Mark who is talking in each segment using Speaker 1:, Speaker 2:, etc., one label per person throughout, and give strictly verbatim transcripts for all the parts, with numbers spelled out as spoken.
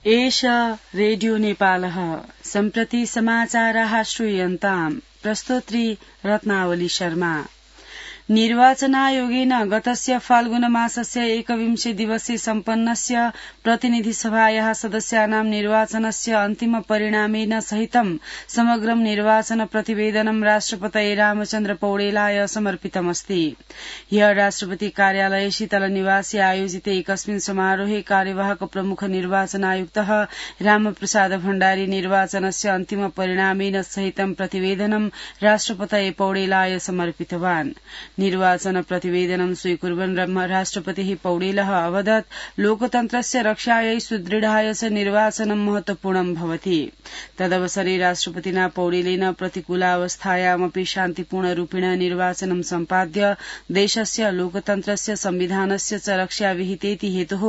Speaker 1: एष रेडियो नेपालः सम्प्रति समाचाराः श्रूयन्ताम् प्रस्तोत्री रत्नावली शर्मा। निर्वाचनायोगेन गतस्य फाल्गुन मासस्य एकविंशे दिवसे सम्पन्नस्य प्रतिनिधिसभायाः सदस्यानां निर्वाचनस्य अन्तिम परिणामेन सहितं समग्रं निर्वाचन प्रतिवेदनं राष्ट्रपतये रामचन्द्र पौडेलाय समर्पितमस्ति। ह्यः राष्ट्रपति कार्यालये शीतलनिवासे आयोजिते एकस्मिन् समारोहे कार्यवाहक प्रमुख निर्वाचन आयुक्तः रामप्रसाद भण्डारी निर्वाचनस्य अन्तिम परिणामेन सहितं प्रतिवेदनं राष्ट्रपतये पौडेलाय समर्पितवान्। निर्वाचन प्रतिवेदनं स्वीकुर्वन् राष्ट्रपतिः पौडेलः अवदत् लोकतन्त्रस्य रक्षायै सुदृढाय च निर्वाचनं महत्वपूर्णं भवति। तदवसरे राष्ट्रपतिना पौडेलेन प्रतिकूलावस्थायामपि शान्तिपूर्णरूपेण निर्वाचनं सम्पाद्य देशस्य लोकतन्त्रस्य संविधानस्य च रक्षा विहितेति हेतुः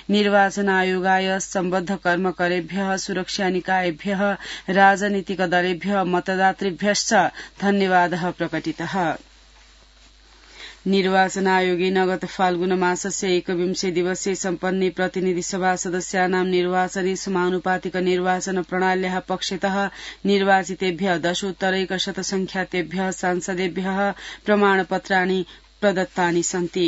Speaker 1: निर्वाचन आयोगाय सम्बद्ध कर्मकरेभ्यः सुरक्षानिकायेभ्यः राजनीतिक दलेभ्यः मतदातृभ्यश्च धन्यवादः प्रकटितः। निर्वाचन आयोगेन गत फाल्गुन मासस्य एकविंशे दिवसे सम्पन्ने प्रतिनिधिसभा सदस्यानां निर्वाचने समानुपातिक निर्वाचन प्रणाल्याः पक्षतः निर्वाचितेभ्यः दशोत्तरैकशतसंख्यातेभ्यः सांसदेभ्यः प्रमाणपत्राणि प्रदत्तानि सन्ति।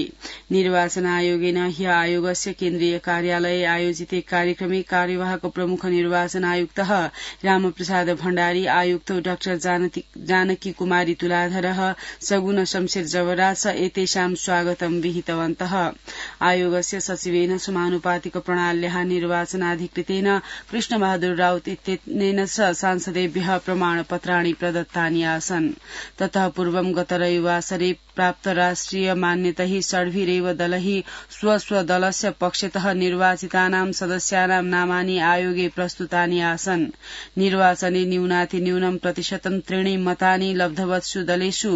Speaker 1: निर्वाचन आयोगेन ह्य आयोगस्य केन्द्रीय कार्यालये आयोजिते कार्यक्रमे कार्यवाहक प्रमुख निर्वाचन आयुक्तः रामप्रसाद भण्डारी, आयुक्तौ डाक्टर जानकी कुमारी तुलाधरः, सगुन शमशेर जवराज च एतेषां स्वागतं विहितवन्तः। आयोगस्य सचिवेन समानुपातिक प्रणाल्याः निर्वाचनाधिकृतेन कृष्णबहादुर राउत इत्यनेन च सांसदेभ्यः प्रमाणपत्राणि प्रदत्तानि आसन्। ततः पूर्वं गत रविवासरे प्राप्त राष्ट्रिय मान्यतैः षड्भिरेव दलैः स्वस्वदलस्य पक्षतः निर्वाचितानां सदस्यानां नामानि आयोगे प्रस्तुतानि आसन्। निर्वाचने न्यूनातिन्यूनं प्रतिशतं त्रीणि मतानि लब्धवत्सु दलेषु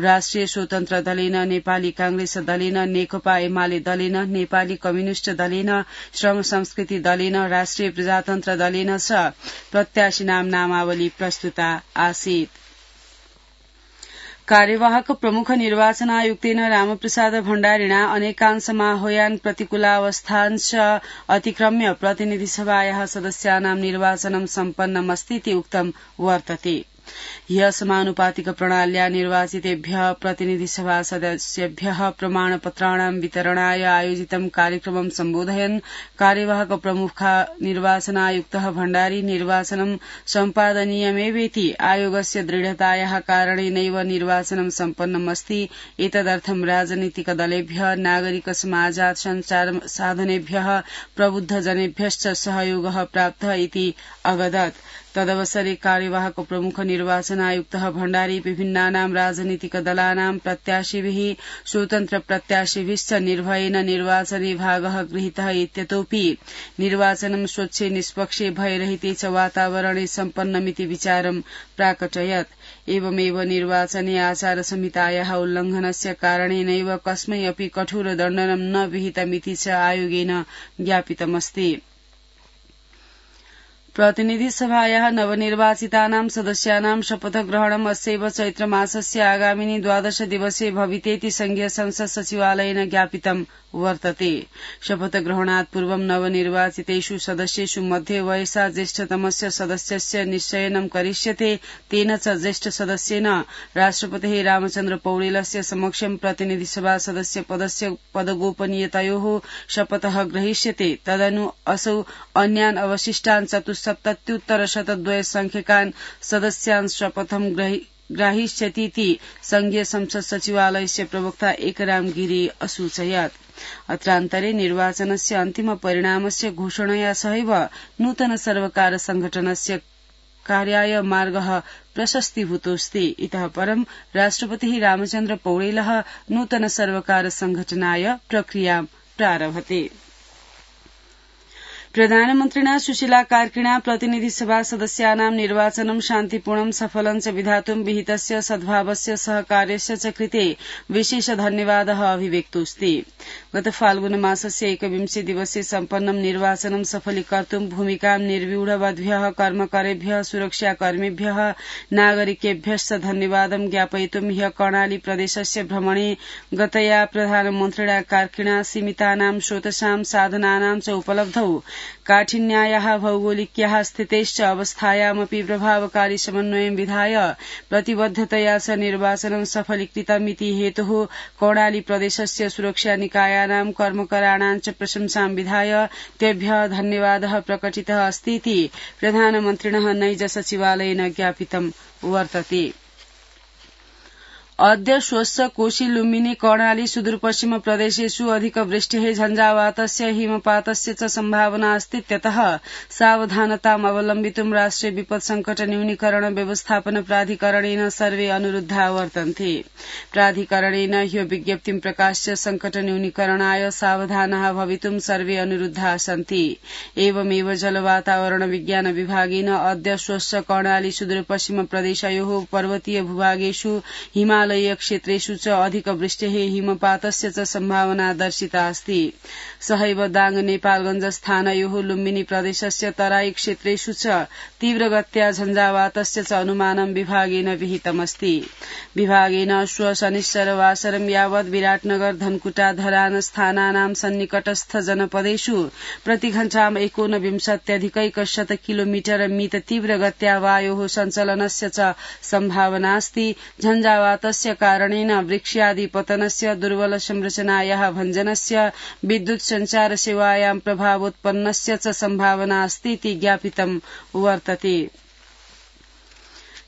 Speaker 1: राष्ट्रिय स्वतन्त्र दलेन, नेपाली कांग्रेस दलेन, नेकपा एमाले दलेन, नेपाली कम्युनिष्ट दलेन, श्रम संस्कृति दलेन, राष्ट्रिय प्रजातन्त्र दलेन च प्रत्याशीनां नामावली प्रस्तुता आसीत्। कार्यवाहक प्रमुख निर्वाचन आयुक्तेन रामप्रसाद भण्डारिणा अनेकांशमाह्वयान् प्रतिकूलावस्थांश्च अतिक्रम्य प्रतिनिधिसभायाः सदस्यानां निर्वाचनं सम्पन्नमस्तीति उक्तं वर्तते। ह्यः समानुपातिक प्रणाल्या निर्वाचितेभ्यः प्रतिनिधिसभा सदस्येभ्यः प्रमाणपत्राणां वितरणाय आयोजितं कार्यक्रमं सम्बोधयन् कार्यवाहक प्रमुख निर्वाचन आयुक्तः भण्डारी निर्वाचनं सम्पादनीयमेवेति आयोगस्य दृढतायाः कारणेनैव निर्वाचनं सम्पन्नमस्ति। एतदर्थं राजनीतिक दलेभ्यः, नागरिक समाजात् सञ्चार साधनेभ्यः, प्रबुद्धजनेभ्यश्च सहयोगः प्राप्तः इति अवदत्। तदवसरे कार्यवाहक प्रमुख निर्वाचन आयुक्तः भण्डारी विभिन्नानां राजनीतिक दलानां प्रत्याशिभिः, स्वतन्त्र प्रत्याशिभिश्च निर्भयेन निर्वाचने भागः गृहीतः इत्यतोऽपि निर्वाचनं स्वच्छे निष्पक्षे भयरहिते च वातावरणे सम्पन्नमिति विचारं प्राकटयत्। एवमेव निर्वाचने आचार संहितायाः उल्लंघनस्य कारणेनैव कस्मै अपि कठोर दण्डनं न विहितमिति च आयोगेन ज्ञापितमस्ति। प्रतिनिधिसभायाः नवनिर्वाचितानां सदस्यानां शपथग्रहणम् अस्यैव चैत्रमासस्य आगामिनि द्वादश दिवसे भवितेति संघीय संसद सचिवालयेन ज्ञापितं वर्तते। शपथग्रहणात् पूर्वं नवनिर्वाचितेषु सदस्येषु मध्ये वयसा ज्येष्ठतमस्य सदस्यस्य निश्चयनं करिष्यते। तेन च ज्येष्ठ सदस्येन राष्ट्रपतिः रामचन्द्र पौडेलस्य समक्षं प्रतिनिधिसभा सदस्य पदस्य पदगोपनीयतयोः शपथः ग्रहीष्यते। तदनु असौ अन्यान् अवशिष्टान् चतुस्सप्तत्युत्तर शतद्वय संख्यकान् सदस्यान् शपथं ग्राहीष्यतीति संघीय संसद सचिवालयस्य प्रवक्ता एकराम गिरी असूचयत्। अत्रान्तरे निर्वाचनस्य अन्तिम परिणामस्य घोषणया सहैव नूतन सर्वकार संघटनस्य कार्याय मार्गः प्रशस्तीभूतोऽस्ति। इतः परं राष्ट्रपतिः रामचन्द्र पौडेलः नूतन सर्वकार संघटनाय प्रक्रियां प्रारभते। प्रधानमन्त्रिणा सुशीला कार्किणा प्रतिनिधिसभा सदस्यानां निर्वाचनं शान्तिपूर्णं सफलं च विधातुं विहितस्य सद्भावस्य सहकार्यस्य च कृते विशेष धन्यवादः अभिव्यक्तोऽस्ति। गत फाल्गुन मासस्य एकविंशे दिवसे सम्पन्नं निर्वाचनं सफलीकर्तुं भूमिकां निर्व्यूढवद्भ्यः कर्मकरेभ्यः, सुरक्षाकर्मिभ्यः, नागरिकेभ्यश्च धन्यवादं ज्ञापयितुं ह्यः कर्णाली प्रदेशस्य भ्रमणे गतया प्रधानमन्त्रिणा कार्किणा सीमितानां स्रोतसां साधनानां च उपलब्धौ काठिन्यायाः भौगोलिक्याः स्थितेश्च अवस्थायामपि प्रभावकारी समन्वयं विधाय प्रतिबद्धतया च निर्वाचनं सफलीकृतमिति हेतुः कर्णाली प्रदेशस्य सुरक्षा निकायानां कर्मकराणां च प्रशंसां विधाय तेभ्यः धन्यवादः प्रकटितः अस्तीति प्रधानमन्त्रिणः नैज सचिवालयेन ज्ञापितं वर्तते। अद्य श्वस्य कोशी लुम्बिनी कर्णाली सुदूरपश्चिम प्रदेशेषु अधिकवृष्टिः झञ्झावातस्य हिमपातस्य च सम्भावना अस्तीत्यतः सावधानताम् अवलम्बितुं राष्ट्रिय विपत् संकट न्यूनीकरण व्यवस्थापन प्राधिकरणेन सर्वे अनुरुद्धा वर्तन्ते। प्राधिकरणेन ह्यो विज्ञप्तिं प्रकाश्य संकट न्यूनीकरणाय सावधानाः भवितुं सर्वे अनुरुद्धाः सन्ति। एवमेव जलवातावरण विज्ञान विभागेन अद्य श्वस्य कर्णाली सुदूरपश्चिम प्रदेशयोः पर्वतीय भूभागेषु हिमा हिमालयीय क्षेत्रेषु च अधिकवृष्टिः हिमपातस्य च सम्भावना दर्शिता अस्ति। सहैव दाङ नेपालगञ्ज स्थानयोः लुम्बिनी प्रदेशस्य तराई क्षेत्रेषु च तीव्रगत्या झञ्झावातस्य च अनुमानं विभागेन विहितमस्ति। विभागेन श्व शनिश्चरवासरं यावत् विराटनगर धनकुटा धरान स्थानानां सन्निकटस्थ जनपदेषु प्रतिघण्टाम् एकोनविंशत्यधिकैकशत किलोमीटर मित तीव्रगत्या वायोः सञ्चलनस्य च सम्भावनास्ति। झञ्झावातस्य कारणेन वृक्षादि पतनस्य दुर्बल संरचनायाः भञ्जनस्य विद्युत संचार सेवायां प्रभावोत्पन्नस्य च सम्भावना अस्तीति ज्ञापितं वर्तते।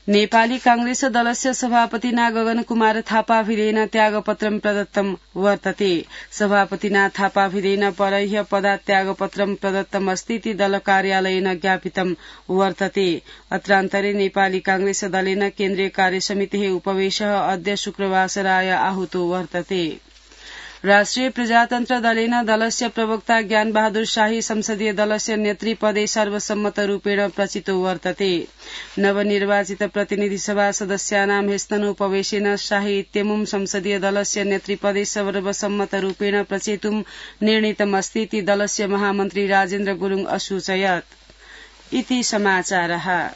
Speaker 1: नेपाली कांग्रेस दलस्य सभापतिना गगनकुमार थापाभिरेन त्यागपत्रं प्रदत्तं वर्तते। सभापतिना थापाभिरेन परह्य पदात्यागपत्रं प्रदत्तमस्तीति दल कार्यालयेन ज्ञापितं वर्तते। अत्रान्तरे नेपाली कांग्रेस दलेन केन्द्रीय कार्यसमितेः उपवेशः अद्य शुक्रवासराय आहूतो वर्तते। राष्ट्रिय प्रजातन्त्र दलेन दलस्य प्रवक्ता ज्ञान बहादुर शाही संसदीय दलस्य नेतृपदे सर्वसम्मतरूपेण प्रचितो वर्तते। नवनिर्वाचित प्रतिनिधि सभा सदस्यानां ह्यस्तनोपवेशेन शाही इत्यमुं संसदीय दलस्य नेतृपदे सर्वसम्मतरूपेण प्रचेतुं निर्णीतमस्तीति दलस्य महामन्त्री राजेन्द्र गुरुङ असूचयत्। इति समाचारः।